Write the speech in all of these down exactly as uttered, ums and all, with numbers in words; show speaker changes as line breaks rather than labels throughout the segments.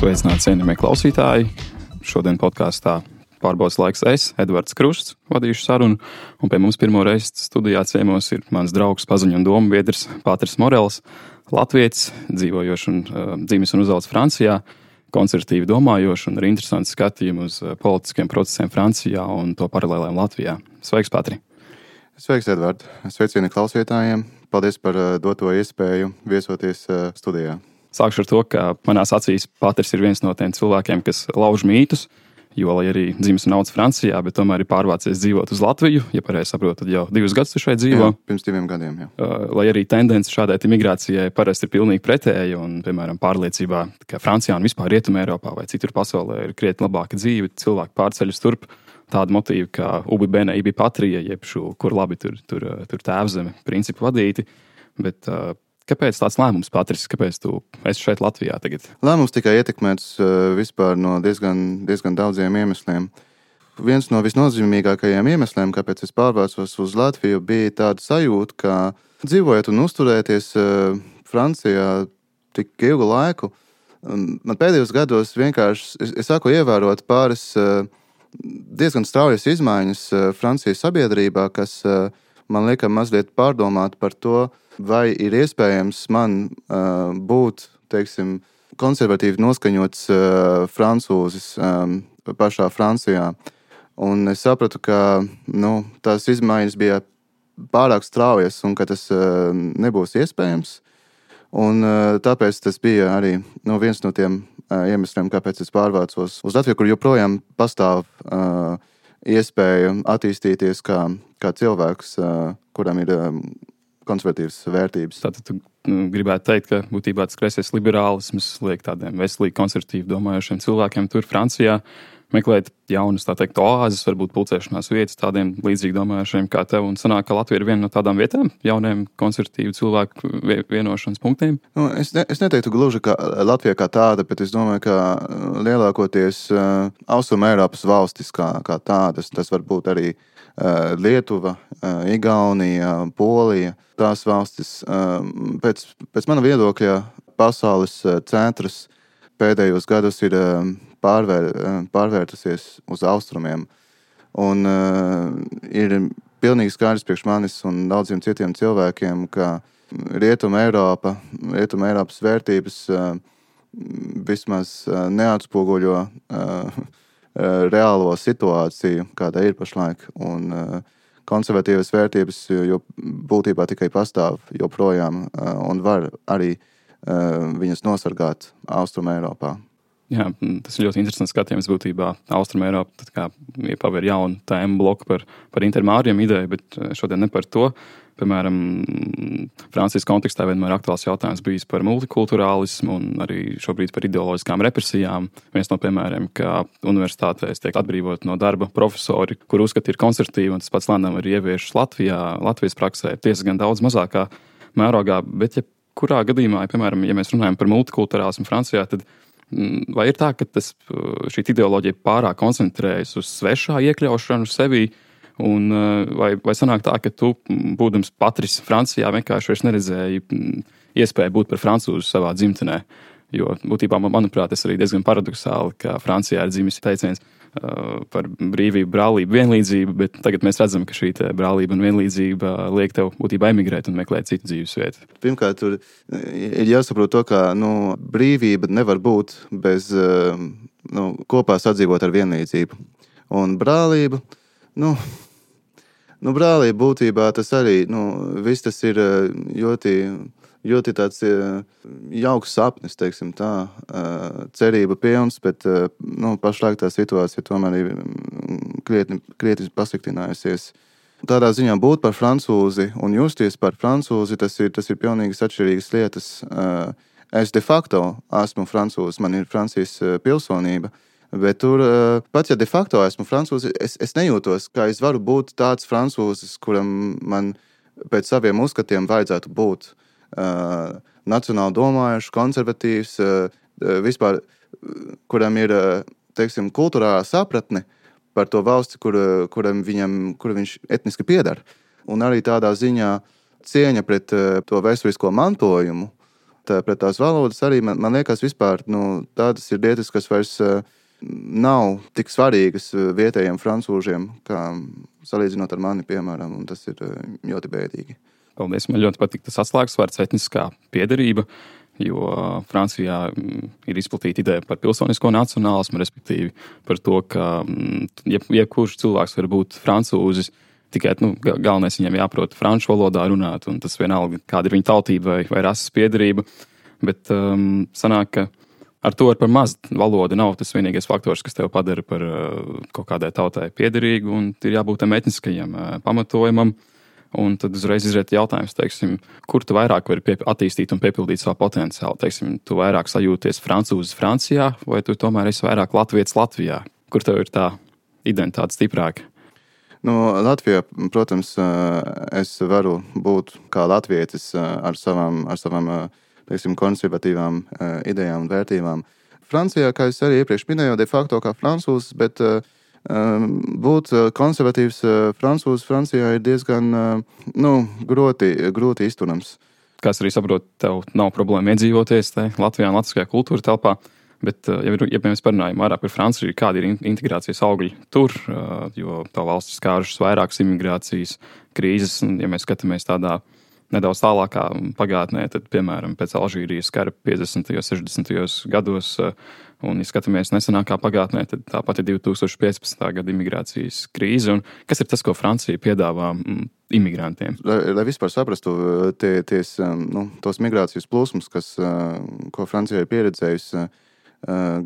Sveicināti cienījamie klausītāji. Šodien podkāstā pārbaudas laiks es, Edvards Krusts, vadīšu sarunu, un pie mums pirmo reizi studijā ciemos ir mans draugs, paziņu un domu biedrs Pāters Morels, latvietis, dzīvojošs un uh, dzimis un uzaugs Francijā, konservatīvi domājošs un ar interesantu skatījumu uz uh, politiskiem procesiem Francijā un to paralēlēm Latvijā. Sveiks, Pātri!
Sveiks, Edvard! Sveicieni klausītājiem! Paldies par uh, doto iespēju viesoties uh, studijā.
Sākšu ar to, ka manās acīs Pāters ir viens no tiem cilvēkiem, kas lauž mītus, jo, lai arī dzimis un audzis Francijā, bet tomēr ir pārvācies dzīvot uz Latviju, ja pareizi saprotu, tad jau divus gadus tu šeit dzīvo.
Jā, pirms diviem gadiem, jā.
Uh, lai arī tendence šādai migrācijai parasti ir pilnīgi pretēja, un, piemēram, pārliecībā, ka Francijā un vispār Rietumē Eiropā vai citur pasaulē ir krietni labāka dzīve, cilvēki pārceļas turp, tāda motīva kā ubi bene, ibi patria, jeb šo, kur labi tur, tur, tur tēvzeme principu vadīti, bet uh, kāpēc tāds lēmums, Pātris? Kāpēc tu esi šeit Latvijā tagad?
Lēmums tikai ietekmēts uh, vispār no diezgan, diezgan daudziem iemesliem. Viens no visnozīmīgākajiem iemesliem, kāpēc es pārvācos uz Latviju, bija tāda sajūta, ka dzīvojot un uzturēties uh, Francijā tik ilgu laiku, um, man pēdējos gados vienkārši, es, es sāku ievērot pāris uh, diezgan straujas izmaiņas uh, Francijas sabiedrībā, kas uh, man lieka mazliet pārdomāt par to, vai ir iespējams man uh, būt, teiksim, konservatīvi noskaņots uh, francūzis um, pašā Francijā. Un es sapratu, ka nu, tās izmaiņas bija pārāk straujas un ka tas uh, nebūs iespējams. Un uh, tāpēc tas bija arī nu, viens no tiem uh, iemesliem, kāpēc es pārvācos uz Latviju, kur joprojām pastāv uh, iespēja attīstīties kā, kā cilvēks, uh, kuram ir um, konservatīvas vērtības.
Tātad tu gribētu teikt, ka būtībā tas kreisais liberālisms liek tādiem veselīgi konservatīvi domājošiem cilvēkiem tur Francijā meklēt jaunas, tā teikt, oāzes, varbūt pulcēšanās vietas tādiem līdzīgi domājošiem kā tev, un sanāk, ka Latvija ir viena no tādām vietām, jauniem konservatīvu cilvēku vienošanas punktiem?
Nu, es, ne, es neteiktu gluži kā Latvija kā tāda, bet es domāju, ka lielākoties uh, Austrum Eiropas valstis kā, kā tādas, tas var būt arī uh, Lietuva, uh, Igaunija, Polija, tās valstis. Uh, pēc, pēc mana viedokļa pasaules uh, centrs pēdējos gados ir uh, pārvēr, pārvērtusies uz austrumiem. Un uh, ir pilnīgi skaidrs priekš manis un daudziem citiem cilvēkiem, ka Rietuma Eiropa, Rietuma Eiropas vērtības uh, vismaz uh, neatspoguļo uh, reālo situāciju, kāda ir pašlaik. Un uh, konservatīvas vērtības jo būtībā tikai pastāv joprojām uh, un var arī uh, viņas nosargāt Austrum Eiropā.
Jā, tas ir ļoti interesants skatījums būtībā. Austrum Eiropa tad kā paver jaunu tēmu bloku par, par intermāriem ideju, bet šodien ne par to. Piemēram, Francijas kontekstā vienmēr aktuāls jautājums bijis par multikulturālismu un arī šobrīd par ideoloģiskām represijām. Viens no piemēriem, ka universitātēs tiek atbrīvot no darba profesori, kur uzskati ir konservatīvi, un tas pats lēnām ir ieviešas Latvijā, Latvijas praksē, tiesa gan daudz mazākā mērogā, bet ja kurā gadījumā, ja, piemēram, ja mēs runājam par multikulturālismu Francijā, tad vai ir tā, ka tas, šī ideoloģija pārāk koncentrējas uz svešā iekļaušanu sevī, un vai, vai sanāk tā, ka tu, būdams Patris Francijā, vienkārši vairs neredzēji iespēju būt par francūzu savā dzimtenē? Jo būtībā, manuprāt, tas arī diezgan paradoxāli, ka Francijā ir dzimis teiciens uh, par brīvību, brālību, vienlīdzību, bet tagad mēs redzam, ka šī brālība un vienlīdzība liek tev būtībā emigrēt un meklēt citu dzīves vietu.
Pirmkārt, tur ir jāsaprot to, ka nu, brīvība nevar būt bez uh, nu, kopā sadzīvot ar vienlīdzību. Un brālība, nu, nu brālība būtībā tas arī, nu, viss tas ir ļoti... ļoti tāds jauks sapnis, teiksim tā, cerība pilns, bet nu, pašlaik tā situācija tomēr ir krietni, krietni pasliktinājusies. Tādā ziņā būt par francūzi un justies par francūzi, tas ir, tas ir pilnīgi atšķirīgas lietas. Es de facto esmu francūzis, man ir Francijas pilsonība, bet tur, pat ja de facto esmu francūzi, es, es nejūtos, kā es varu būt tāds francūzis, kuram man pēc saviem uzskatiem vajadzētu būt. Uh, nacionāli domājuši, konservatīvs, uh, vispār, kuram ir, teiksim, kulturālā sapratne par to valsti, kur, kuram viņam, kur viņš etniski piedar. Un arī tādā ziņā cieņa pret uh, to vēsturisko mantojumu, pret, pret tās valodas arī, man, man liekas, vispār nu, tādas ir lietas, kas vairs nav tik svarīgas vietējiem francūžiem, kā salīdzinot ar mani, piemēram, un tas ir ļoti bēdīgi.
Paldies, man ļoti patīk tas atslēgas vārds etniskā piederība, jo Francijā ir izplatīta ideja par pilsonisko nacionālismu, respektīvi par to, ka jeb, jebkurš cilvēks var būt francūzis, tikai nu, galvenais viņam jāprot franču valodā runāt, un tas vienalga, kāda ir viņa tautība vai, vai rases piederība. Bet um, sanāk, ka ar to ar par maz valoda nav tas vienīgais faktors, kas tev padara par uh, kaut kādai tautai piederīgu, un ir jābūt tam etniskajam uh, pamatojumam. Un tad uzreiz izriet jautājums, teiksim, kur tu vairāk vari pie, attīstīt un piepildīt savu potenciālu. Teiksim, tu vairāk sajūties francūzis Francijā, vai tu tomēr esi vairāk latvietis Latvijā? Kur tev ir tā identitāte stiprāka?
Nu, Latvijā, protams, es varu būt kā latvietis ar savām, ar savām teiksim, konservatīvām idejām un vērtībām. Francijā, kā es arī iepriekš minēju, de facto kā francūzis, bet būt konservatīvs francūzis Francijā ir diezgan nu, grūti, grūti izturams.
Kā es arī saprotu, tev nav problēma iedzīvoties te Latvijā un latviskajā kultūra telpā, bet, ja, ja mēs parunājam vairāk par Franciju, kādi ir integrācijas augļi tur, jo tā valsts skārušas vairākas imigrācijas krīzes, un ja mēs skatāmies tādā nedaudz tālākā pagātnē, tad, piemēram, pēc Alžīrijas kara piecdesmitajos, sešdesmitajos gados, un, ja skatāmies nesenākā pagātnē, tad tāpat ir divi tūkstoši piecpadsmitā gada imigrācijas krīze. Un kas ir tas, ko Francija piedāvā imigrantiem?
Lai, lai vispār saprastu tie, ties, nu, tos migrācijas plūsmus, kas, ko Francija ir pieredzējusi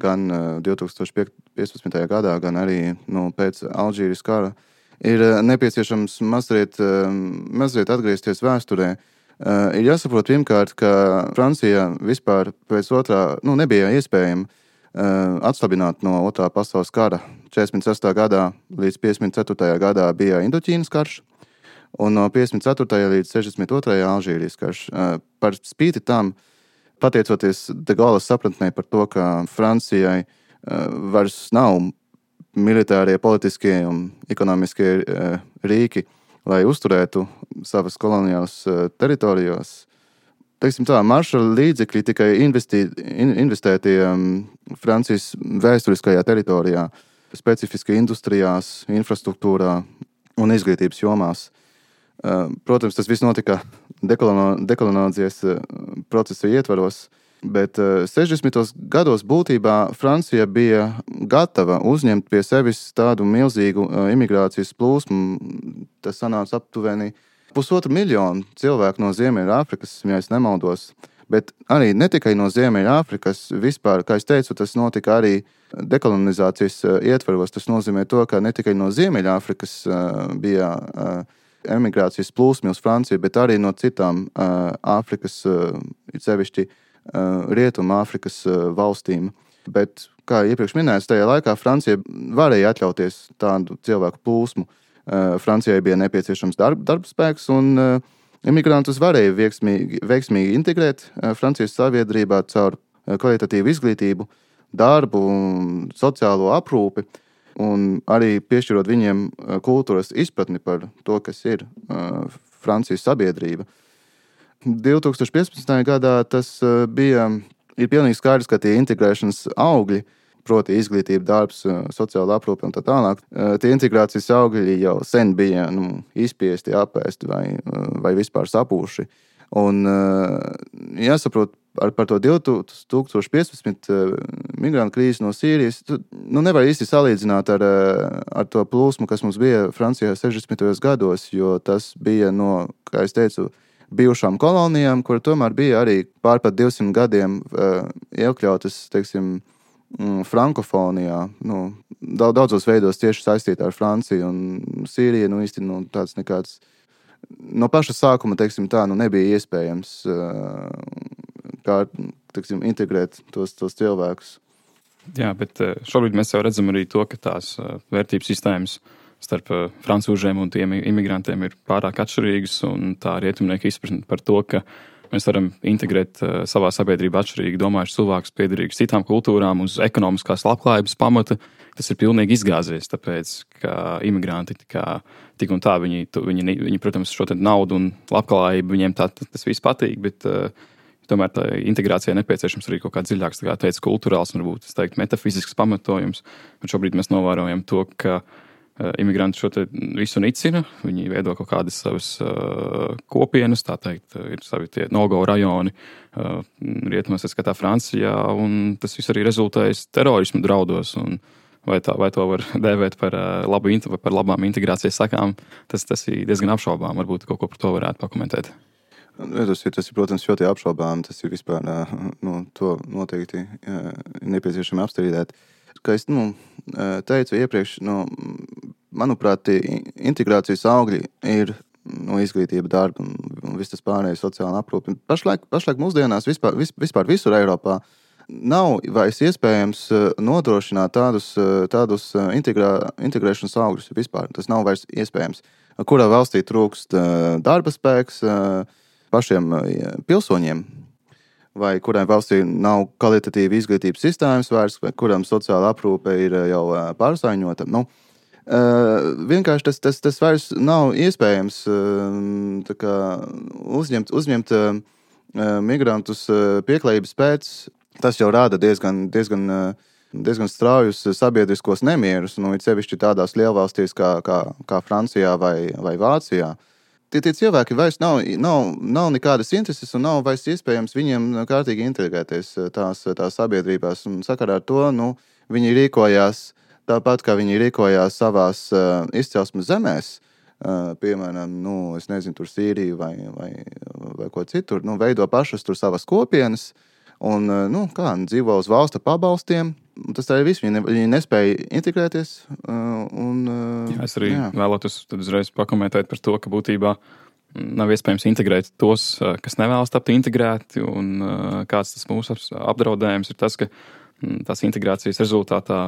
gan divi tūkstoši piecpadsmitajā gadā, gan arī nu, pēc Alžīrijas kara, ir nepieciešams mazliet, mazliet atgriezties vēsturē. Ir jāsaprot pirmkārt, ka Francija vispār pēc otrā nu, nebija iespējama atslabināt no otrā pasaules kara. četrdesmit sestajā gadā līdz piecdesmit ceturtajā gadā bija Indoķīnas karš, un no piecdesmit ceturtajā līdz sešdesmit otrajā Alžīrijas karš. Par spīti tam, pateicoties de Gaulles sapratnē par to, ka Francijai vairs nav militārie, politiskie un ekonomiskie rīki, lai uzturētu savas koloniālas teritorijos. Teiksim tā, Maršala līdzekļi tikai investī, investēti Francijas vēsturiskajā teritorijā, specifiski industrijās, infrastruktūrā un izglītības jomās. Protams, tas viss notika dekolonizācijas procesa ietvaros, bet sešdesmitos gados būtībā Francija bija gatava uzņemt pie sevis tādu milzīgu imigrācijas plūsmu. Tas sanāca aptuveni pusotru miljonu cilvēku no Ziemeļāfrikas, ja es nemaldos. Bet arī ne tikai no Ziemeļāfrikas, vispār, kā es teicu, tas notika arī dekolonizācijas ietvaros. Tas nozīmē to, ka ne tikai no Ziemeļāfrikas bija emigrācijas plūsmi uz Franciju, bet arī no citām Āfrikas, it sevišķi Rietuma Āfrikas valstīm. Bet, kā iepriekš minēts, tajā laikā Francija varēja atļauties tādu cilvēku plūsmu. Francijai bija nepieciešams darba, darba spēks, un imigrantus varēja veiksmīgi, veiksmīgi integrēt Francijas sabiedrībā caur kvalitatīvu izglītību, darbu, sociālo aprūpi, un arī piešķirot viņiem kultūras izpratni par to, kas ir Francijas sabiedrība. divi tūkstoši piecpadsmitajā gadā tas bija, ir pilnīgi skaidrs, ka tie integrēšanas augļi, proti izglītība, darbs, sociāla aprūpe un tā tālāk, tie integrācijas augļi jau sen bija nu, izspiesti, apēsti vai, vai vispār sapūši. Un jāsaprot ar, par to divi tūkstoši piecpadsmitā migrantu krīzi no Sīrijas, nu, nevar īsti salīdzināt ar, ar to plūsmu, kas mums bija Francijā sešdesmitajos gados, jo tas bija no, kā es teicu, bijušām kolonijām, kur tomēr bija arī pār pat divsimt gadiem uh, iekļautas, teiksim, frankofonijā. Nu, daudzos veidos tieši saistīta ar Franciju un Sīriju. Nu, īsti nu, tāds nekāds, no paša sākuma, teiksim tā, nu, nebija iespējams uh, kā, teiksim, integrēt tos, tos cilvēkus.
Jā, bet šobrīd mēs jau redzam arī to, ka tās vērtības sistēmas starp francūžiem un tiem imigrantiem ir pārāk atšķirīgas, un tā rietumnieka izpratne par to, ka mēs varam integrēt savā sabiedrībā atšķirīgi domājuši cilvēkus piederīgus citām kultūrām uz ekonomiskās labklājības pamata, tas ir pilnīgi izgāzies, tāpēc, ka imigranti kā, tik un tā, viņi, viņi, viņi, protams, šo naudu un labklājību, viņiem tā, tas viss patīk, bet Tomēr tā integrācijai nepieciešams arī kaut kāds dziļāks, kā teica, kultūrāls un varbūt, es teiktu, metafizisks pamatojums. Bet šobrīd mēs novērojam to, ka imigranti šo te visu nicina, viņi veido kaut kādas savas uh, kopienas, tā teikt, ir savi tie no-go rajoni uh, rietumos, skatā Francijā, un tas viss arī rezultējas terorismu draudos. Un vai, tā, vai to var dēvēt par, uh, labu, par labām integrācijas sakām, tas, tas ir diezgan apšaubām. Varbūt kaut ko par to varētu pakomentēt.
Tas ir, tas ir, protams, ļoti apšaubām. Tas ir vispār, nu, to noteikti nepieciešami apstrīdēt. Kā es nu, teicu iepriekš, nu, manuprāt, integrācijas augļi ir nu, izglītība, darba un, un viss tas pārējais sociāla aprūpe. Pašlaik, pašlaik mūsdienās vispār, vispār visur Eiropā nav vairs iespējams nodrošināt tādus, tādus integrā, integrēšanas augļus vispār. Tas nav vairs iespējams. Kurā valstī trūkst darba spēks pašiem pilsoņiem, vai kurai valstī nav kvalitatīva izglītības sistēmas vairs, vai kuram sociāla aprūpe ir jau pārsaiņota. Nu, vienkārši tas, tas, tas vairs nav iespējams tā kā uzņemt, uzņemt migrantus pieklājības pēc. Tas jau rāda diezgan, diezgan, diezgan straujus sabiedriskos nemierus, nu, it sevišķi tādās lielvalstīs kā, kā, kā Francijā vai, vai Vācijā. Tie, tie cilvēki vairs nav, nav, nav nekādas intereses un nav vairs iespējams viņiem kārtīgi integrēties tās, tās sabiedrībās. Un sakarā ar to, nu, viņi rīkojās tāpat, kā viņi rīkojās savās uh, izcelsmes zemēs, uh, piemēram, nu, es nezinu, tur Sīriju vai, vai, vai ko citur, nu, veido pašas tur savas kopienas un, uh, nu, kā, dzīvo uz valsta pabalstiem. Tas tā ir viss. Viņi, ne, viņi nespēja integrēties. Uh, un, uh,
jā, es arī
jā.
vēlētos tad uzreiz pakomentēt par to, ka būtībā nav iespējams integrēt tos, kas nevēlas tapt integrēti, un uh, kāds tas mūsu apdraudējums ir tas, ka tās integrācijas rezultātā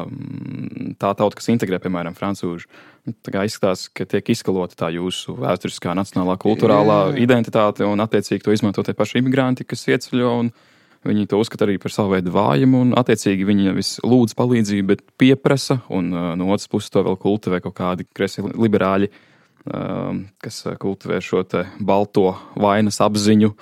tā tauta, kas integrē, piemēram, francūži, tā kā izskatās, ka tiek izskalota tā jūsu vēsturiskā nacionālā kultūrālā jā, jā. identitāte, un attiecīgi to izmanto tie paši imigranti, kas ieceļo, un viņi to uzskata arī par savu veidu vājumu, un attiecīgi viņi nevis lūdz palīdzību, bet pieprasa, un uh, no otras puses to vēl kultivē kaut kādi kreisi liberāļi, uh, kas kultivē šo te balto vainas apziņu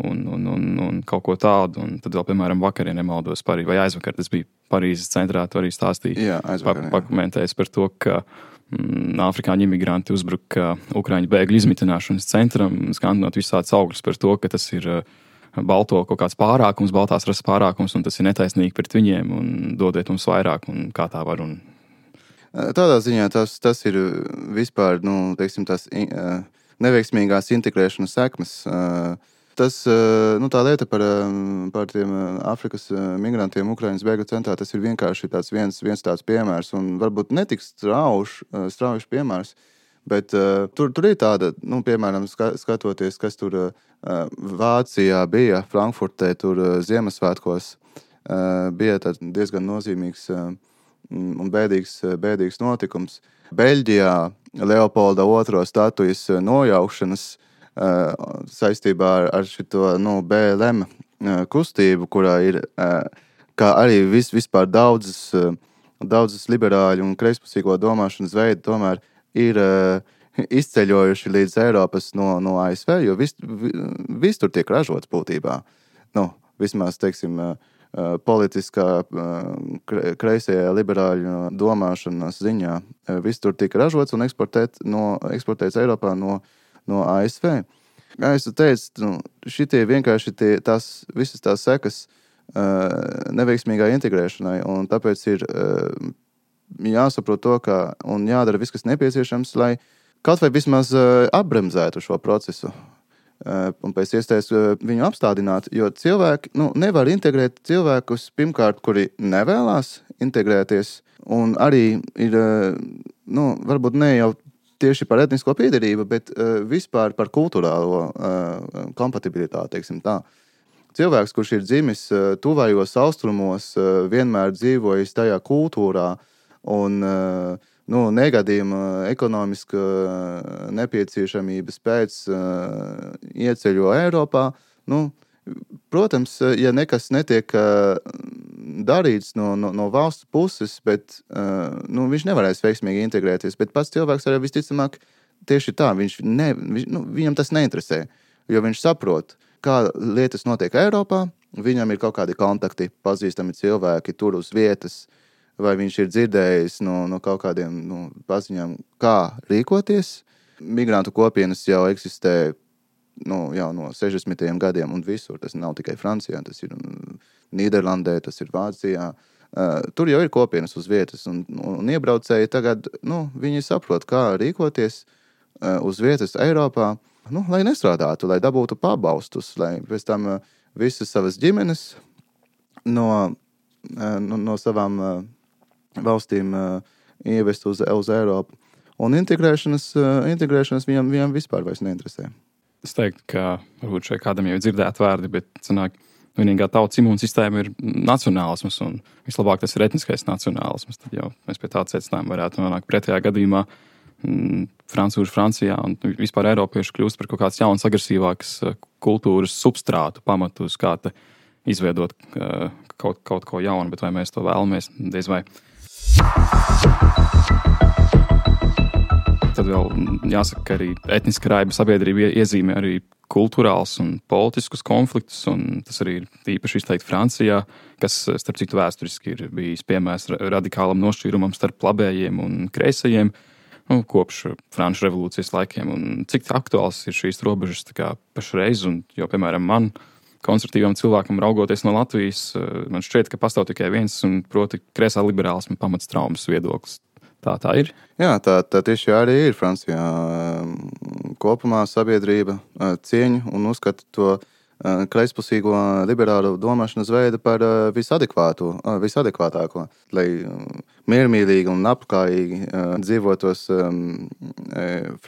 un, un, un, un kaut ko tādu. Un tad vēl, piemēram, vakar, ja nemaldos, Parī, vai aizvakar, tas bija Parīzes centrā, tu arī stāstīji,
jā, aizvakar,
pa, pakomentējis par to, ka mm, afrikāņu imigranti uzbruka Ukraiņu bēgļu izmitināšanas centram, skandinot visāds augļus par to, ka tas ir uh, balto kaut kāds pārākums, baltās rases pārākums, un tas ir netaisnīgi pret viņiem, un dodiet mums vairāk, un kā tā var. Un...
Tādā ziņā tas, tas ir vispār, nu, teiksim, tās neveiksmīgās integrēšanas sekmes. Tas, nu, tā lieta par, par tiem Afrikas migrantiem Ukrainas bēgļu centrā, tas ir vienkārši tāds viens, viens tāds piemērs, un varbūt netiks strauš, straujuši piemērs, bet uh, tur, tur ir tāda, nu, piemēram, skatoties, kas tur uh, Vācijā bija, Frankfurtē, tur uh, Ziemassvētkos, uh, bija diezgan nozīmīgs uh, un bēdīgs, bēdīgs notikums. Beļģijā Leopolda otrā statujas nojaukšanas uh, saistībā ar, ar šito, nu, B L M uh, kustību, kurā ir, uh, kā arī vis, vispār daudzas, uh, daudzas liberāļu un kreispusīgo domāšanas veidi tomēr ir uh, izceļojuši līdz Eiropas no, no A S V, jo viss vis tur tiek ražots būtībā. Nu, vismaz, teiksim, uh, politiskā uh, kreisajā liberāļu domāšanas ziņā. Uh, viss tur tika ražots un eksportēt no, eksportēts Eiropā no, no A S V. Kā es teicu, nu, šitie vienkārši tie, tās, visas tās sekas uh, neveiksmīgai integrēšanai, un tāpēc ir uh, jāsaprot to, ka, un jādara viss, kas nepieciešams, lai kaut vai vismaz uh, apbremzētu šo procesu uh, un pēc iespējas uh, viņu apstādināt, jo cilvēki, nu, nevar integrēt cilvēkus, pirmkārt, kuri nevēlās integrēties, un arī ir, uh, nu, varbūt ne jau tieši par etnisko piederību, bet uh, vispār par kultūrālo uh, kompatibilitāti, teiksim tā. Cilvēks, kurš ir dzimis uh, tuvajos austrumos, uh, vienmēr dzīvojis tajā kultūrā, un nu, negadījuma ekonomiska nepieciešamības pēc uh, ieceļo Eiropā. Nu, protams, ja nekas netiek uh, darīts no, no, no valsts puses, bet uh, nu, viņš nevarēs veiksmīgi integrēties, bet pats cilvēks arī visticamāk tieši tā, viņš ne, viņš, nu, viņam tas neinteresē, jo viņš saprot, kā lietas notiek Eiropā, viņam ir kaut kādi kontakti, pazīstami cilvēki tur uz vietas, vai viņš ir dzirdējis no, no kaut kādiem no paziņām, kā rīkoties. Migrantu kopienas jau eksistē nu, jau no sešdesmitajiem gadiem un visur. Tas nav tikai Francijā, tas ir Nīderlandē, tas ir Vācijā. Uh, tur jau ir kopienas uz vietas, un, un iebraucēji tagad, nu, viņi saprot, kā rīkoties uh, uz vietas Eiropā, nu, lai nestrādātu, lai dabūtu pabalstus, lai pēc tam uh, visas savas ģimenes no, uh, no, no savām uh, valstīm uh, ievest uz, uz Eiropu. Un integrēšanas, uh, integrēšanas viņam, viņam vispār vairs neinteresē.
Es teiktu, ka varbūt šeit kādam jau ir dzirdēti vārdi, bet sanāk, vienīgā tautas imūnsistēma ir nacionālisms, un vislabāk tas ir etniskais nacionālisms. Tad jau mēs pie tāda secinājuma varētu nonākt pretējā gadījumā. Mm, Francūži Francijā un vispār Eiropieši kļūst par kaut kāds jauns, agresīvāks kultūras substrātu pamatu, uz kā te izveidot uh, kaut, kaut ko jaunu, bet vai mēs to vēlamies, diez vai. Tad vēl jāsaka, ka arī etniska raiba sabiedrība iezīmē arī kultūrāls un politiskus konfliktus, un tas arī ir īpaši izteikti Francijā, kas, starp citu, vēsturiski ir bijis piemērs radikālam nošķīrumam starp labējiem un kreisajiem, nu, kopš Franču revolūcijas laikiem. Un cik aktuāls ir šīs robežas tā kā pašreiz, un jo, piemēram, man, konservatīvam cilvēkam raugoties no Latvijas, man šķiet, ka pastāv tikai viens, un proti kreisā liberālisma pamats traumas viedoklis. Tā tā ir?
Jā, tā, tā tieši arī ir Francijā. Kopumā sabiedrība cieņu un uzskata to kreispusīgo liberālu domāšanas veidu par visadekvātu, visadekvātāko, lai miermīlīgi un apkājīgi dzīvotos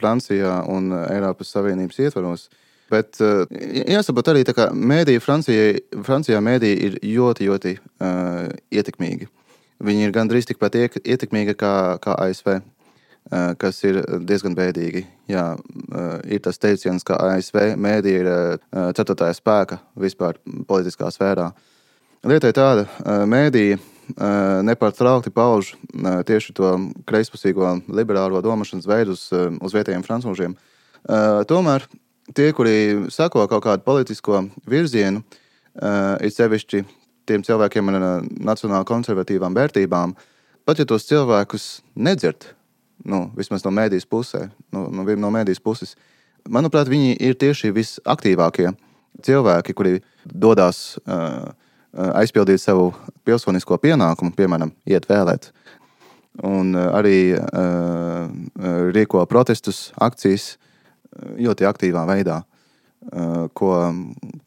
Francijā un Eiropas Savienības ietvaros. Bet jāsaprot arī, tā kā mēdī Francijai, Francijā mēdī ir ļoti, ļoti uh, ietekmīgi. Viņi ir gandrīz tikpat ietekmīgi kā, kā A S V, kas ir diezgan bēdīgi. Jā, ir tas teiciens, ka A S V mēdī ir ceturtajā spēka vispār politiskā sfērā. Lieta ir tāda, mēdī nepārtraukti pauž tieši to kreispusīgo liberālo domāšanas veidu uz, uz vietējiem francūžiem. Tomēr tie, kuri sako kaut kādu politisko virzienu, ir sevišķi tiem cilvēkiem ar nacionāli konservatīvām vērtībām, pat ja tos cilvēkus nedzird, nu, vismaz no mēdīs pusē, no, no mēdīs puses, manuprāt, viņi ir tieši visaktīvākie cilvēki, kuri dodās uh, aizpildīt savu pilsonisko pienākumu, piemēram, iet vēlēt, un uh, arī uh, rīko protestus, akcijas ļoti aktīvā veidā, uh, ko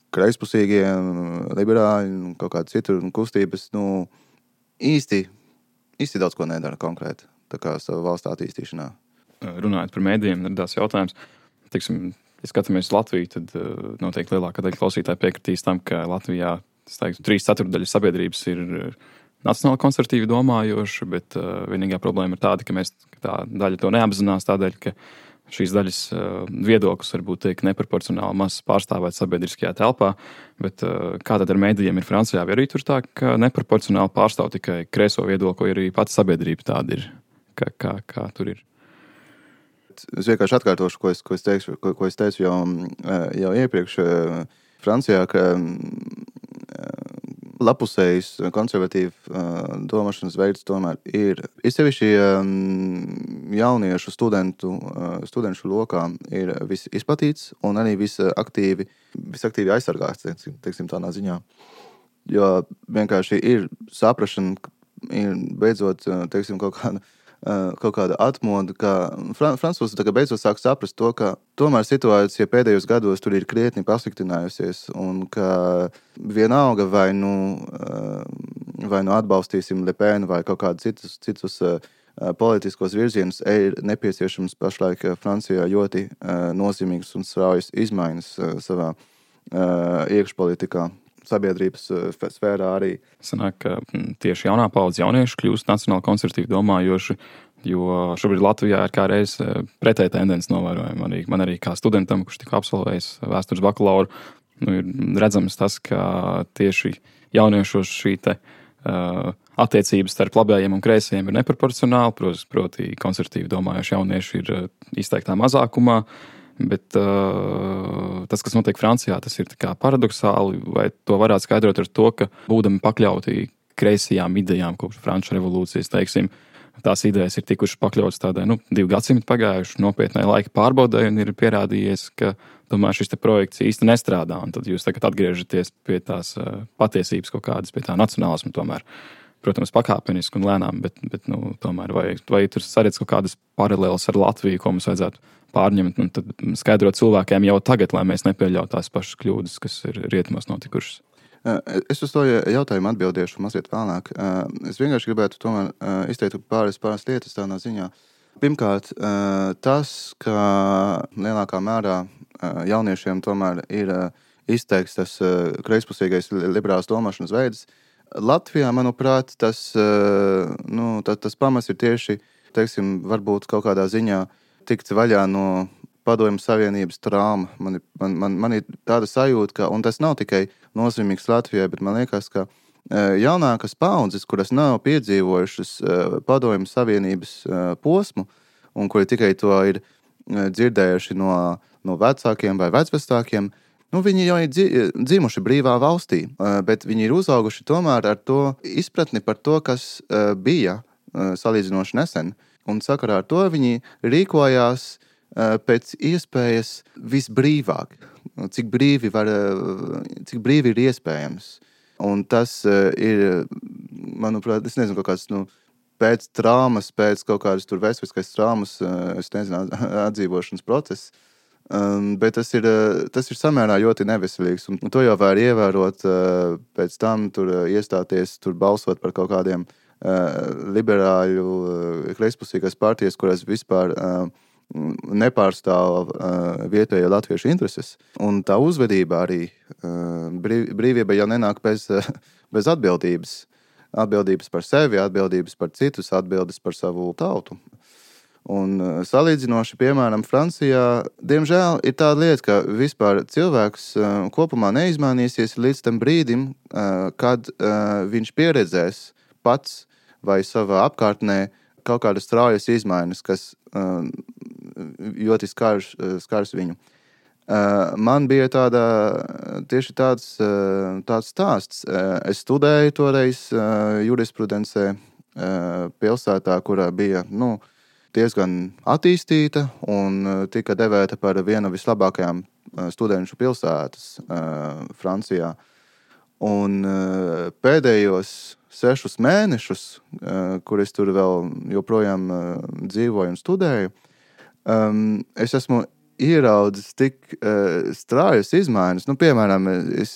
kreispusīgie, liberāļi un kaut kādas citur kustības, nu, īsti, īsti daudz ko nedara konkrēti, tā kā savu valstu attīstīšanā.
Runājot par mēdījiem, radās jautājums, teiksim, ja skatāmies Latviju, tad noteikti lielākā daļa klausītāji piekritīs tam, ka Latvijā, es teiktu, trīs ceturtdaļas sabiedrības ir nacionāli konservatīvi domājoši, bet uh, vienīgā problēma ir tāda, ka mēs, ka tā daļa to neapzinās tādēļ, ka šīs daļas uh, viedoklis varbūt tiek neproporcionāli maz pārstāvēt sabiedriskajā telpā, bet uh, kā tad ar mēdījiem ir Francijā, vai arī tur tā, ka neproporcionāli pārstāv tikai kreiso viedokli, arī pati sabiedrība tāda ir, kā, kā, kā tur ir.
Es vienkārši atkārtošu, ko es, ko es, teikšu, ko, ko es teicu jau, jau iepriekš Francijā, ka lapusējs konservatīva domāšanas veids tomēr ir. Ir sevišķi jauniešu studentu, studenšu lokā ir visizplatīts un arī visaktīvi, visaktīvi aizsargāts, teiksim, tādā ziņā. Jo vienkārši ir saprašana, ir beidzot, teiksim, kaut kāda kaut kāda atmoda, ka Fran- Francūzi tagad beidzot sāk saprast to, ka tomēr situācija pēdējos gados tur ir krietni pasliktinājusies un ka vienalga vai nu, vai nu atbalstīsim Le Pen vai kaut kādu citus, citus politiskos virzienus, ir nepieciešams pašlaik Francijā ļoti nozīmīgas un straujas izmaiņas savā iekšpolitikā. Sabiedrības sfērā arī.
Sanāk, ka tieši jaunā paudze jaunieši kļūst nacionāli konservatīvi domājoši, jo šobrīd Latvijā ir kā reiz pretēja tendence novērojama. Arī, man arī kā studentam, kurš tikko absolvējis vēstures bakalauru, nu, ir redzams tas, ka tieši jauniešos šī te uh, attiecības starp labējiem un kreisajiem ir neproporcionāli, proti, proti konservatīvi domājoši jaunieši ir izteiktā mazākumā, bet uh, tas, kas notiek Francijā, tas ir tā kā paradoxāli, vai to varētu skaidrot ar to, ka būdami pakļauti kreisajām idejām kopš Franču revolūcijas, teiksim, tās idejas ir tikušas pakļautas tādai, nu, divu gadsimtu pagājuši nopietnai laika pārbaudai un ir pierādījies, ka tomēr šis te projekts īsti nestrādā, un tad jūs tagad atgriežaties pie tās uh, patiesības kaut kādas, pie tā nacionālismu tomēr. Protams, pakāpeniski un lēnām, bet, bet nu, tomēr vai, vai tur saredz kaut kādas paralēlas ar Latviju, ko mums vajadzētu pārņemt un tad skaidrot cilvēkiem jau tagad, lai mēs nepieļautu tās pašas kļūdas, kas ir rietumos notikušas.
Es uz to jautājumu atbildēšu mazliet vēlāk. Es vienkārši gribētu tomēr izteikt pāris, pāris lietas tādā ziņā. Pirmkārt, tas, ka lielākā mērā jauniešiem tomēr ir izteikts tas kreispusīgais liberāls domāšanas veids, Latvijā, manuprāt, tas, nu, tas, tas pamats ir tieši, teiksim, varbūt kaut kādā ziņā tikt vaļā no Padomju Savienības trauma. Man, man, man, man ir tāda sajūta, ka, un tas nav tikai nozīmīgs Latvijai, bet man liekas, ka jaunākas paudzes, kuras nav piedzīvojušas Padomju Savienības posmu, un kuri tikai to ir dzirdējuši no, no vecākiem vai vecvecākiem, nu, viņi jau ir dzimuši brīvā valstī, bet viņi ir uzauguši tomēr ar to izpratni par to, kas bija salīdzinoši nesen. Un sakarā ar to viņi rīkojās pēc iespējas visbrīvāk, cik brīvi, var, cik brīvi ir iespējams. Un tas ir, manuprāt, es nezinu, kaut kāds, nu, pēc traumas, pēc kaut kādas tur vēsturiskais traumas, es nezinu, atdzīvošanas process. Um, bet tas ir, tas ir samērā ļoti neveselīgs, un to jau var ievērot uh, pēc tam, tur uh, iestāties, tur balsot par kaut kādiem uh, liberāļu, uh, kreispusīgās partijas, kuras vispār uh, nepārstāv uh, vietējo latviešu intereses. Un tā uzvedība arī, uh, brīv, brīvība jau nenāk bez, uh, bez atbildības. Atbildības par sevi, atbildības par citus, atbildes par savu tautu. Un salīdzinoši, piemēram, Francijā, diemžēl, ir tāda lieta, ka vispār cilvēks kopumā neizmainīsies līdz tam brīdim, kad viņš pieredzēs pats vai savā apkārtnē kaut kādas straujas izmaiņas, kas ļoti skars, skars viņu. Man bija tāda, tieši tāds, tāds stāsts. Es studēju toreiz jurisprudencē pilsētā, kurā bija, nu, diezgan attīstīta un tika devēta par vienu vislabākajām studenšu pilsētas uh, Francijā. Un uh, pēdējos sešus mēnešus, uh, kur es tur vēl joprojām uh, dzīvoju un studēju, um, es esmu ieraudzis tik uh, straujas izmaiņas. Nu, piemēram, es,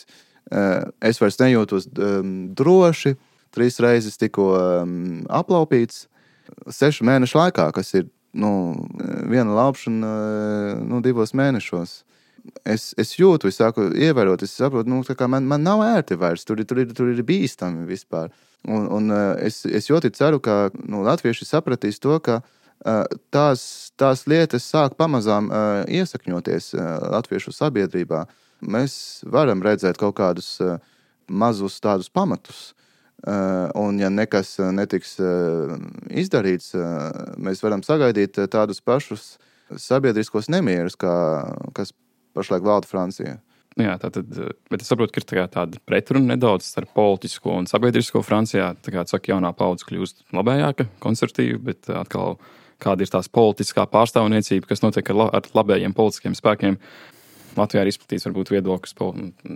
uh, es vairs nejūtos um, droši, trīs reizes tikko um, aplaupīts, sešu mēnešu laikā, kas ir, nu, viena laupšana, nu, divos mēnešos. Es, es jūtu, es sāku ievērot, es saprotu, nu, tā kā man, man nav ērti vairs, tur, tur, ir, tur ir bīstami vispār. Un, un es, es ļoti ceru, ka, nu, latvieši sapratīs to, ka tās, tās lietas sāk pamazām iesakņoties latviešu sabiedrībā. Mēs varam redzēt kaut kādus mazus tādus pamatus. Uh, un ja nekas netiks uh, izdarīts, uh, mēs varam sagaidīt tādus pašus sabiedriskos nemierus, kā, kas pašlaik valda Francijā.
Jā, tātad, bet es saprotu, ka ir tā tāda pretruna nedaudz starp politisko un sabiedrisko Francijā. Tā kā, saka, jaunā paudze kļūst labējāka, konservatīva, bet atkal kāda ir tās politiskā pārstāvniecība, kas notiek ar, ar labējiem politiskiem spēkiem. Latvijā ir izplatīts varbūt viedoklis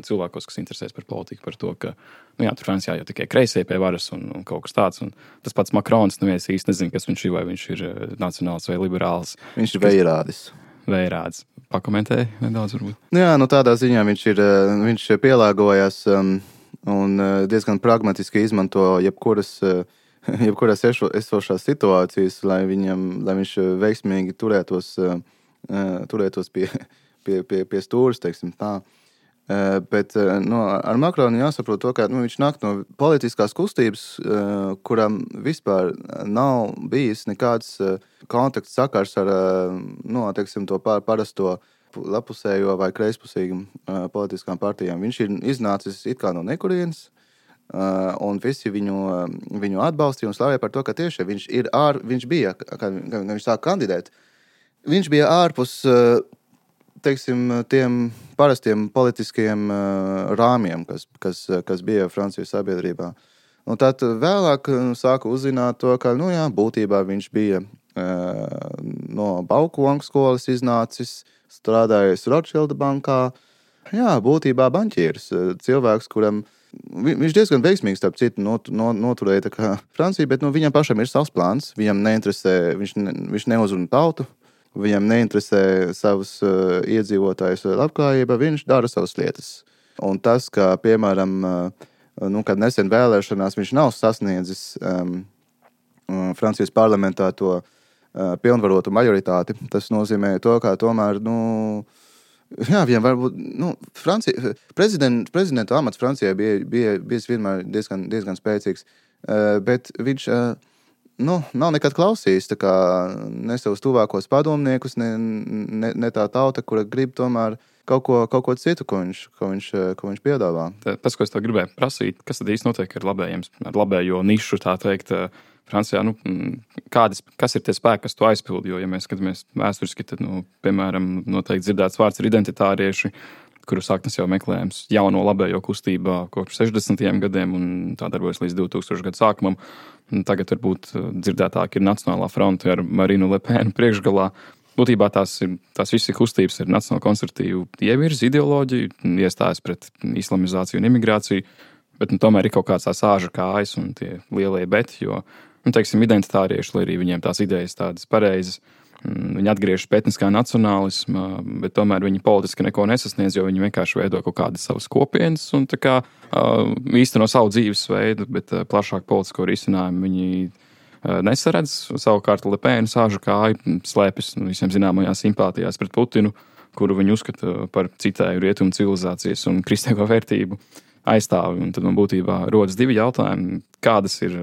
cilvēkos, kas interesēs par politiku, par to, ka, nu jā, tur Francijā jau tikai kreisie pie varas un, un kaut kas tāds. Un tas pats Makrons, nu es īsti nezinu, kas viņš ir, vai viņš ir nacionāls vai liberāls.
Viņš ir vējrādis.
Vējrādis. Pakomentēji nedaudz varbūt.
Jā, nu tādā ziņā viņš ir, viņš pielāgojas um, un diezgan pragmatiski izmanto jebkuras, jebkuras esošās situācijas, lai viņam, lai viņš veiksmīgi turētos, uh, turētos pie Pie, pie, pie stūras, teiksim tā. Uh, bet uh, no, ar Makronu jāsaprot to, ka nu, viņš nāk no politiskās kustības, uh, kuram vispār nav bijis nekāds uh, kontakts sakars ar uh, nu, teiksim, to par, parasto lapusējo vai kreispusīgam uh, politiskām partijām. Viņš ir iznācis it kā no nekurienes, uh, un visi viņu, uh, viņu atbalstīja un slavēja par to, ka tieši viņš, ir ār, viņš bija, kad viņš sāk kandidēt, viņš bija ārpus uh, teiksim, tiem parastiem politiskiem rāmjiem, kas, kas, kas bija Francijas sabiedrībā. Un tad vēlāk sāka uzzināt to, ka, nu jā, būtībā viņš bija no Baukonga skolas iznācis, strādājis Rothschilda bankā. Jā, būtībā banķieris, cilvēks, kuram viņš diezgan veiksmīgi, starp citu, not, not, noturēja tā kā Francija, bet nu, viņam pašam ir savs plāns, viņam neinteresē, viņš, ne, viņš neuzruna tautu, viņam neinteresē savus uh, iedzīvotājus labklājība, viņš dara savas lietas. Un tas, ka, piemēram, uh, nu, kad nesen vēlēšanās viņš nav sasniedzis um, Francijas parlamentā to uh, pilnvarotu majoritāti, tas nozīmē to, ka tomēr, nu, jā, viņam varbūt, nu, Francija, prezident, prezidenta amats Francijai bija, bija, bija vienmēr diezgan, diezgan spēcīgs, uh, bet viņš, uh, nu, nav nekad klausījis, tā kā ne savus tuvākos padomniekus, ne, ne, ne tā tauta, kura grib tomēr kaut ko, kaut ko citu, ko viņš, ko viņš, ko viņš piedāvā.
Tas, ko es tev gribēju prasīt, kas tad īsti notiek ar labējiem, ar labējo nišu, tā teikt, Francijā, nu, kādas, kas ir tie spēki, kas to aizpildi, jo, ja mēs skatāmies vēsturiski, tad, nu, piemēram, noteikti dzirdēts vārds ir identitārieši, kuru sāknes jau meklējams jauno labējo kustībā kopš sešdesmitajiem gadiem un tā darbojas līdz divtūkstošo gadu sākumam. Tagad varbūt dzirdētāk ir Nacionālā fronte ar Marinu Le Penu priekšgalā. Būtībā tās, ir, tās visas kustības ir nacionāli konservatīvu ievirzi ideoloģiju, iestājas pret islamizāciju un imigrāciju, bet nu, tomēr ir kaut kāds tās āža kājas un tie lielie beti, jo, nu, teiksim, identitārieši, lai arī viņiem tās idejas tādas pareizas, viņi atgriežas pie etniskā nacionālisma, bet tomēr viņi politiski neko nesasniedz, jo viņi vienkārši veido kaut kādas savas kopienas un tā kā īsteno savu dzīvesveidu, bet plašāk politisko risinājumu viņi nesaredz. Savukārt Le Pen sāžu kāju slēpjas nu, visiem zināmajās simpātijās pret Putinu, kuru viņi uzskata par citēju rietumu civilizācijas un kristīgo vērtību aizstāvi. Un tad man būtībā rodas divi jautājumi, kādas ir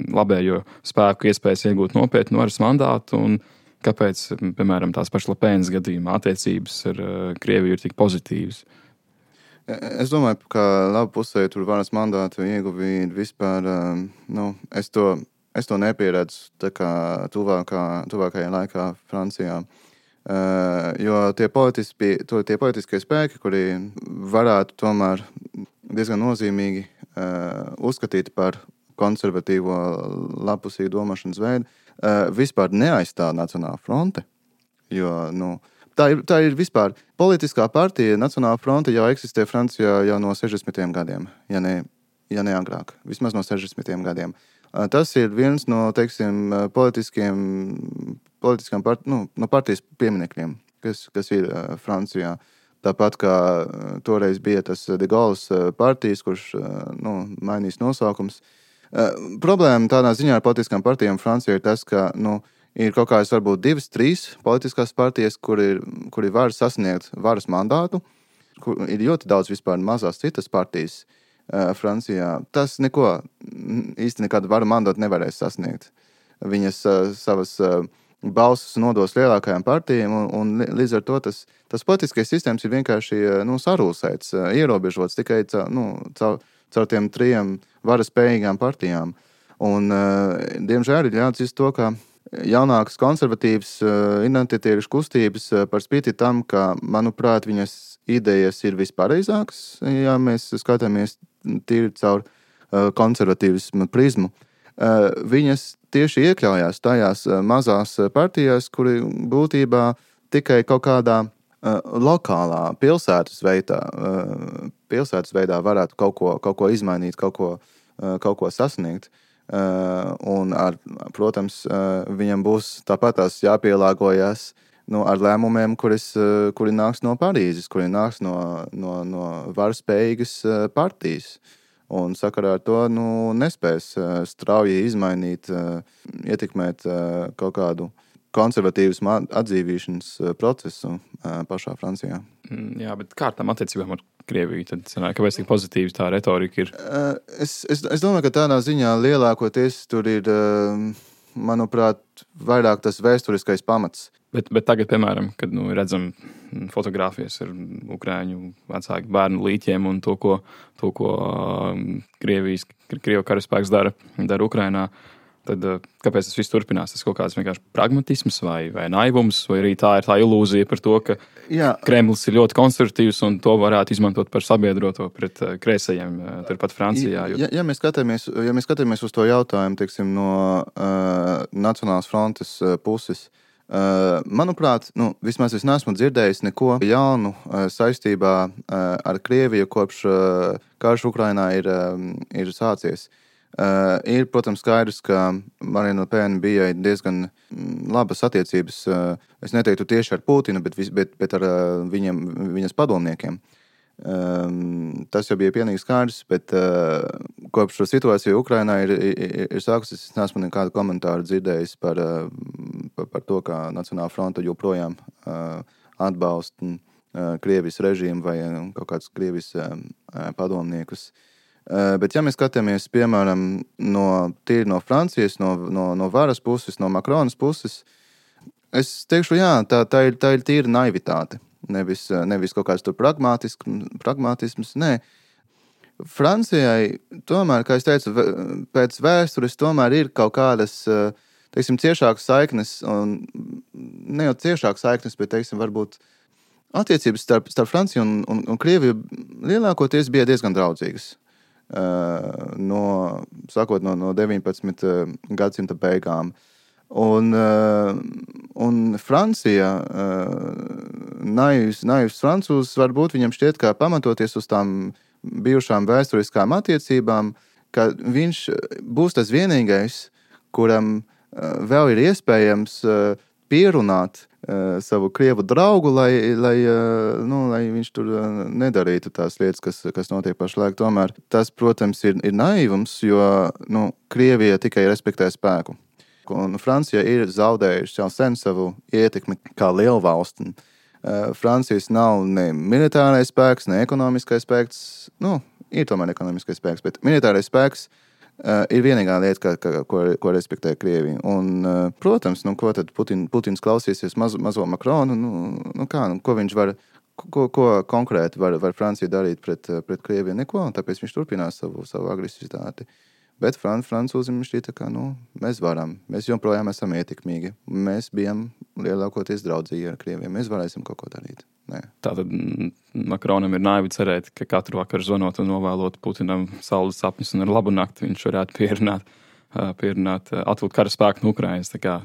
labējo spēku iespējas iegūt nopietnu varas mandātu un kāpēc, piemēram, tās pašas Le Penas gadījumā attiecības ar Krieviju ir tik pozitīvas?
Es domāju, ka labu pusē tur varas mandātu ieguvīt vispār, nu, es to, es to nepieredzu tā kā tuvākā, tuvākajā laikā Francijā. Jo tie, politiski, tie politiskie spēki, kuri varētu tomēr diezgan nozīmīgi uzskatīt par konservatīvo lapusīgu domāšanas veidu, vispār neaizstāv Nacionāla fronte, jo, nu, tā ir, tā ir vispār politiskā partija. Nacionāla fronte jau eksistē Francijā jau no sešdesmitiem gadiem, ja ne, ja ne agrāk, vismaz no sešdesmitiem gadiem. Tas ir viens no, teiksim, politiskiem, politiskām part, nu, no partijas pieminekļiem, kas, kas ir Francijā. Tāpat kā toreiz bija tas De Gaulles partijas, kurš, nu, mainīs nosaukums. Uh, problēma tādā ziņā ar politiskām partijām Francijā ir tas, ka nu, ir kaut kādas varbūt divas, trīs politiskās partijas, kur ir, kuri var sasniegt varas mandātu, kur ir ļoti daudz vispār mazās citas partijas uh, Francijā. Tas neko, īsti nekādu varu mandātu nevarēs sasniegt. Viņas uh, savas uh, balsis nodos lielākajām partijām, un, un līdz ar to tas, tas politiskais sistēmas ir vienkārši uh, nu, sarūsēts, uh, ierobežots tikai caur, nu, caur caur tiem trijiem varas spējīgām partijām. Un, uh, diemžēl, ir jāatzīst to, ka jaunākas konservatīvas uh, identitāriešu kustības uh, par spīti tam, ka, manuprāt, viņas idejas ir vispareizākas, ja mēs skatāmies tīri caur uh, konservatīvismu prizmu. Uh, viņas tieši iekļaujās tajās uh, mazās partijās, kuri būtībā tikai kaut kādā uh, lokālā pilsētas veidā, uh, pilsētas veidā varētu kaut ko, kaut ko izmainīt, kaut ko, uh, kaut ko sasniegt. Uh, un, ar, protams, uh, viņam būs tāpatās jāpielāgojas nu, ar lēmumiem, kuris, uh, kuri nāks no Parīzes, kuri nāks no, no, no varspējīgas uh, partijas. Un sakarā ar to nu, nespēs uh, strauji izmainīt, uh, ietekmēt uh, kaut kādu konservatīvas atdzīvīšanas uh, procesu uh, pašā Francijā.
Jā, bet kā ar tām attiecībām ar Krieviju? Tad, kāpēc tik pozitīva tā retorika ir?
Uh, es, es, es domāju, ka tādā ziņā lielākoties tur ir, uh, manuprāt, vairāk tas vēsturiskais pamats.
Bet, bet tagad, piemēram, kad nu, redzam fotogrāfijas ar ukrāņu vecāku bērnu līķiem un to, ko, to, ko Krievijas, Krievu karaspēks dara, dara Ukrainā, tad kāpēc tas viss turpinās? Tas kaut kāds vienkārši pragmatisms vai, vai naivums, vai arī tā ir tā ilūzija par to, ka Jā. Kremlis ir ļoti konservatīvs un to varētu izmantot par sabiedroto pret kreisajiem turpat Francijā. Jo...
Ja, ja, mēs skatāmies, ja mēs skatāmies uz to jautājumu, teiksim, no uh, Nacionālās frontes uh, puses, Uh, manuprāt, nu, vismaz es neesmu dzirdējis neko jaunu uh, saistībā uh, ar Krieviju, kopš uh, karš Ukrainā ir, uh, ir sācies. Uh, ir, protams, skaidrs, ka Marine Le Pen bija diezgan labas attiecības, uh, es neteiktu tieši ar Putinu, bet, bet, bet ar uh, viņam, viņas padomniekiem. Um, tas jau bija pilnīgi skaidrs, bet uh, kopš šo situāciju Ukrainā ir, ir, ir sākusies, es neesmu nekādu komentāru dzirdējis par, uh, par, par to, kā Nacionālā fronte joprojām uh, atbalsta uh, Krievijas režīmu vai uh, kaut kādus Krievijas uh, padomniekus. Uh, bet ja mēs skatāmies, piemēram, no, tīri no Francijas, no, no, no varas puses, no Makronas puses, es teikšu, jā, tā, tā, ir, tā ir tīra naivitāte. Nevis, nevis kaut kāds tur pragmatisms, nē. Francijai, tomēr, kā es teicu, pēc vēstures tomēr ir kaut kādas, teiksim, ciešākas saiknes, un ne jau ciešākas saiknes, bet, teiksim, varbūt attiecības starp, starp Franciju un, un, un Krieviju lielākoties bija diezgan draudzīgas. No, sākot no, no deviņpadsmitā gadsimta beigām. Un, un Francija, naivs, naivs francūzs, varbūt viņam šķiet, kā pamatoties uz tām bijušām vēsturiskām attiecībām, ka viņš būs tas vienīgais, kuram vēl ir iespējams pierunāt savu krievu draugu, lai, lai, nu, lai viņš tur nedarītu tās lietas, kas, kas notiek pašlaik. Tomēr tas, protams, ir, ir naivums, jo nu, Krievija tikai respektē spēku. Un Francija ir zaudējuši jau sen savu ietekmi kā lielvalsti. Francijas nav ne militārais spēks, ne ekonomiskais spēks. Nu, ir tomēr ekonomiskais spēks, bet militārais spēks uh, ir vienīgā lieta, ka, ka, ko, ko respektē Krievija. Un, uh, protams, nu, ko tad Putin, Putins klausīsies mazo, mazo Makronu? Nu, nu kā, nu, ko viņš var, ko, ko konkrēti var, var Francija darīt pret, pret Krieviju? Neko, un tāpēc viņš turpinās savu, savu agresivitāti. Bet Fran, francūzim šķita, ka nu, mēs varam, mēs joprojām esam ietekmīgi. Mēs bijām lielākoties draudzīgi ar Krieviem, mēs varēsim kaut ko darīt. Nē.
Tātad Makronam ir naivi cerēt, ka katru vakaru zvanot un novēlot Putinam saules sapņus un ar labu nakti viņš varētu pierunāt, pierunāt atvilkt kara spēku no Ukrainas, tā kā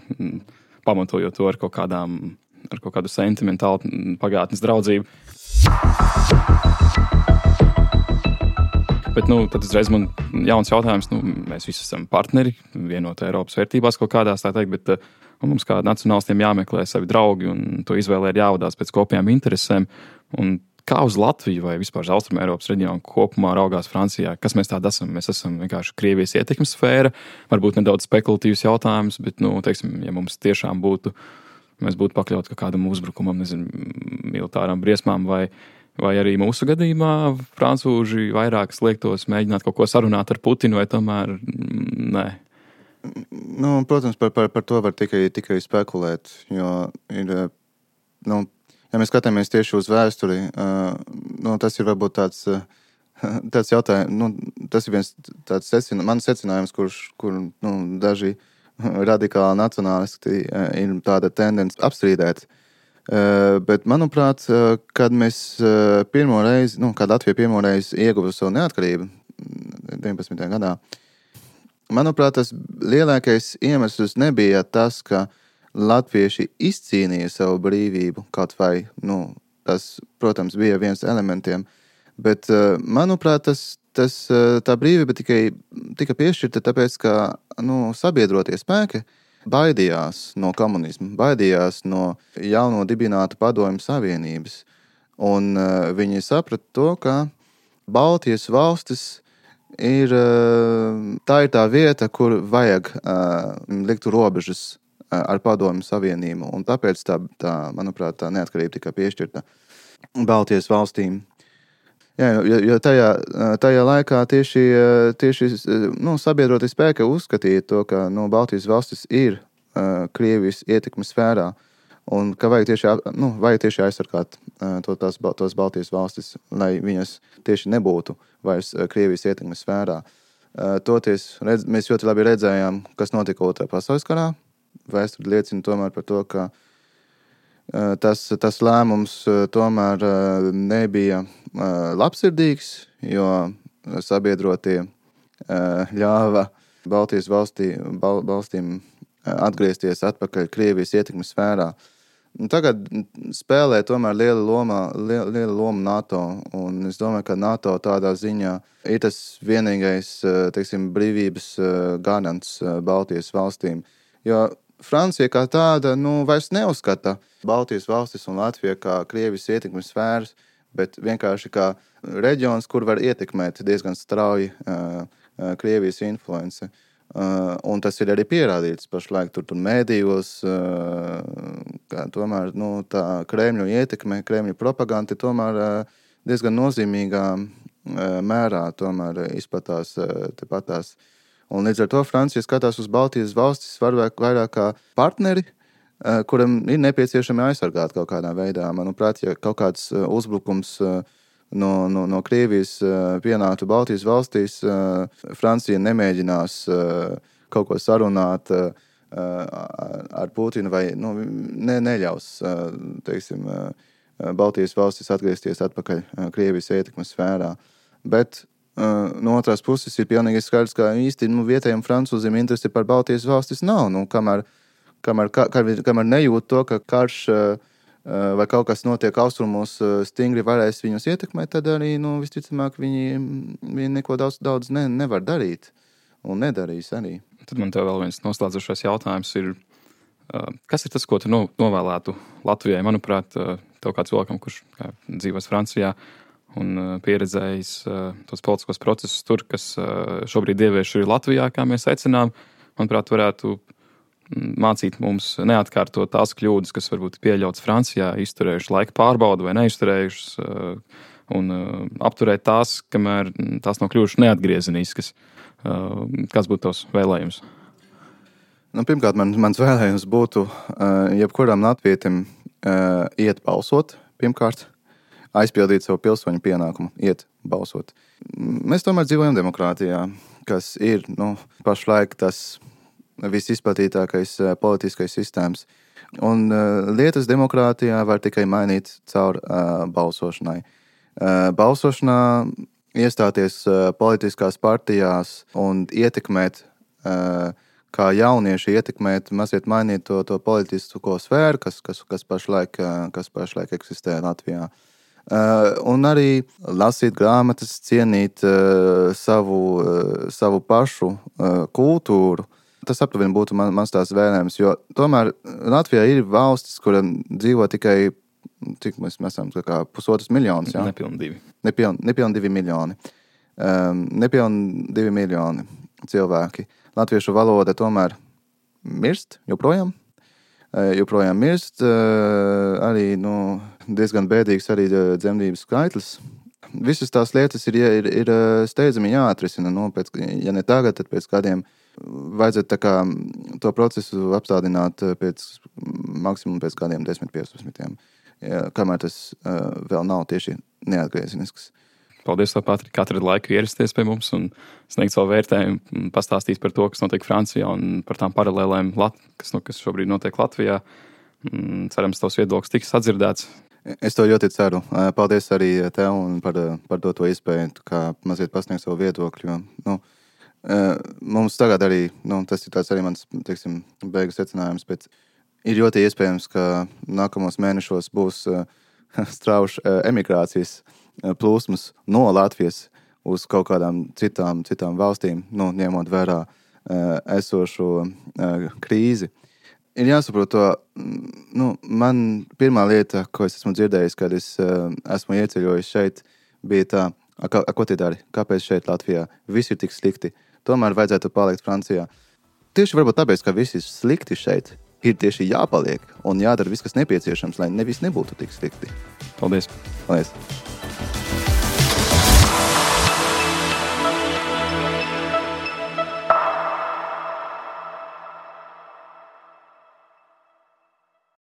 pamatojot to ar kaut kādām, ar kaut kādu sentimentālu pagātnes draudzību. Bet, nu, tad uzreiz man jauns jautājums, nu, mēs visi esam partneri, vienotā Eiropas vērtībās kaut kādās, tā teikt, bet mums kā nacionālistiem jāmeklē savi draugi un to izvēlē ir jāvadās pēc kopējām interesēm. Un kā uz Latviju vai vispār uz Austrumu Eiropas reģionu kopumā raugās Francijā? Kas mēs tādi esam? Mēs esam vienkārši Krievijas ietekmes sfēra, varbūt nedaudz spekulatīvs jautājums, bet, nu, teiksim, ja mums tiešām būtu, mēs būtu pakļauti kaut kādam uzbrukumam, nezinu, militāram briesmām vai Vai arī mūsu gadījumā francūži vairāk sliektos mēģināt kaut ko sarunāt ar Putinu, vai tomēr nē?
Nu, protams, par, par, par to var tikai, tikai spekulēt, jo ir, nu, ja mēs skatāmies tieši uz vēsturi, uh, nu, tas ir varbūt tāds, uh, tāds jautājums, nu, tas ir viens tāds secina, mans secinājums, kurš, kur, nu, daži radikāli nacionālisti uh, ir tāda tendence apstrīdēt. Uh, bet, manuprāt, uh, kad mēs uh, pirmo reizi, nu, kad Latvija pirmo reizi ieguva savu neatkarību deviņpadsmitajā gadā, manuprāt, tas lielākais iemesls nebija tas, ka latvieši izcīnīja savu brīvību, kaut vai, nu, tas, protams, bija viens elementiem, bet, uh, manuprāt, tas, tas, uh, tā brīvība tikai tika piešķirta tāpēc, ka, nu, sabiedrotie spēki baidījās no komunisma, baidījās no jauno dibinātu padomju savienības. Un uh, viņi saprata to, ka Baltijas valstis ir, uh, tā ir tā vieta, kur vajag uh, likt robežas uh, ar padomju savienību. Un tāpēc tā, tā, manuprāt, tā neatkarība tika piešķirta Baltijas valstīm. Jā, jo, jo tajā, tajā laikā tieši, tieši nu, sabiedrotie spēki uzskatīja to, ka nu, Baltijas valstis ir uh, Krievijas ietekmes sfērā un ka vajag tieši, nu, vajag tieši aizsargāt uh, to, tās, tos Baltijas valstis, lai viņas tieši nebūtu vairs Krievijas ietekmes sfērā. Toties redz, mēs ļoti labi redzējām, kas notika Otrā pasaules karā. Vēsture liecina tomēr par to, ka tas, tas lēmums tomēr nebija labsirdīgs, jo sabiedrotie ļāva Baltijas valstī, Bal, valstīm atgriezties atpakaļ Krievijas ietekmes sfērā. Tagad spēlē tomēr liela loma, liela, liela loma NATO, un es domāju, ka NATO tādā ziņā ir tas vienīgais, teiksim, brīvības garants Baltijas valstīm. Jo Francija kā tāda, nu, vairs neuzskata Baltijas valstis un Latvija kā Krievijas ietekmes sfēras, bet vienkārši kā reģions, kur var ietekmēt diezgan strauji uh, uh, Krievijas influence. Uh, un tas ir arī pierādīts pašlaik tur, tur mēdījos, uh, kā tomēr nu, tā Kremļu ietekme, Kremļu propaganda tomēr uh, diezgan nozīmīgā uh, mērā tomēr izplatās uh, tepatās. Un līdz ar to Francija skatās uz Baltijas valstis vairāk, vairāk kā partneri, uh, kuram ir nepieciešami aizsargāt kaut kādā veidā. Manuprāt, ja kaut kāds uh, uzbrukums uh, No, no, no Krievijas uh, pienāktu Baltijas valstīs, uh, Francija nemēģinās uh, kaut ko sarunāt uh, ar Putinu vai nu, ne, neļaus uh, teiksim, uh, Baltijas valstis atgriezties atpakaļ uh, Krievijas ietekmes sfērā. Bet uh, no otrās puses ir pilnīgi skaidrs, ka īsti nu, vietējiem francūziem interesi par Baltijas valstis nav. Nu, kamēr, kamēr, kamēr, kamēr nejūt to, ka karš uh, vai kaut kas notiek austrumos stingri varēs viņus ietekmēt, tad arī, nu, visticamāk, viņi, viņi neko daudz, daudz ne, nevar darīt un nedarīs arī.
Tad man tev vēl viens noslēdzošais jautājums ir, kas ir tas, ko tu novēlētu Latvijai? Manuprāt, tev kā cilvēkam, kurš kā, dzīvos Francijā un pieredzējis tos politiskos procesus tur, kas šobrīd ievieš ir Latvijā, kā mēs aicinām, manuprāt, varētu mācīt mums neatkārtot tās kļūdas, kas varbūt pieļauts Francijā, izturējuši laika pārbaudu vai neizturējušas, un apturēt tās, kamēr tās nav kļuvušas neatgriezeniskas. Kāds būtu tavs vēlējums?
Nu, pirmkārt, man, mans vēlējums būtu jebkuram latvietim iet balsot, pirmkārt, aizpildīt savu pilsoņu pienākumu, iet balsot. Mēs tomēr dzīvojam demokrātijā, kas ir, nu, pašlaik tas visizplatītākais uh, politiskais sistēmas. Un uh, lietas demokrātijā var tikai mainīt caur uh, balsošanai. Uh, balsošanā iestāties uh, politiskās partijās un ietekmēt, uh, kā jaunieši ietekmēt, mazliet mainīt to, to politisko sfēru, kas, kas, kas, pašlaik, uh, kas pašlaik eksistē Latvijā. Uh, un arī lasīt grāmatas, cienīt uh, savu, uh, savu pašu uh, kultūru. Tas aptuveni būtu man, mans tās vēlējums, jo tomēr Latvijā ir valstis, kuram dzīvo tikai, cik mēs esam, kā pusotras miljonus, jā?
Nepilni divi.
Nepilni, nepilni divi miljoni. Um, nepilni divi miljoni cilvēki. Latviešu valoda tomēr mirst, joprojām. Uh, joprojām mirst. Uh, arī, nu, diezgan bēdīgs arī dzemdības skaitlis. Visas tās lietas ir, ir, ir steidzami jāatrisina. Nu, pēc, ja ne tagad, tad pēc kādiem vajadzētu tā kā to procesu apstādināt pēc maksimum pēc kādiem desmit piecpadsmitiem, ja, kamēr tas uh, vēl nav tieši neatgriezenisks.
Paldies, tev, Patrik, katru laiku ierasties pie mums un sniegt savu vērtējumu, pastāstīt par to, kas notiek Francijā un par tām paralēlēm, kas, nu, kas šobrīd notiek Latvijā. Cerams, tavs viedoklis tiks atdzirdēts.
Es to ļoti ceru. Paldies arī tev un par, par to, to iespēju, kā mazliet pasniegt savu viedokļu. Jo, nu, mums tagad arī, nu, tas ir tāds arī mans, teiksim, beigas secinājums, bet ir ļoti iespējams, ka nākamos mēnešos būs strauši emigrācijas plūsmas no Latvijas uz kaut kādām citām, citām valstīm, nu, ņemot vērā esošo krīzi. Ir jāsaprot to, nu, man pirmā lieta, ko es esmu dzirdējis, kad es esmu ieceļojis šeit, bija tā, a, a, ko tie dari? Kāpēc šeit Latvijā? Viss ir tik slikti. Tomēr vajadzētu palikt Francijā. Tieši varbūt tāpēc, ka viss ir slikti šeit, ir tieši jāpaliek un jādara viss, kas nepieciešams, lai nevis nebūtu tik slikti.
Paldies.
Paldies.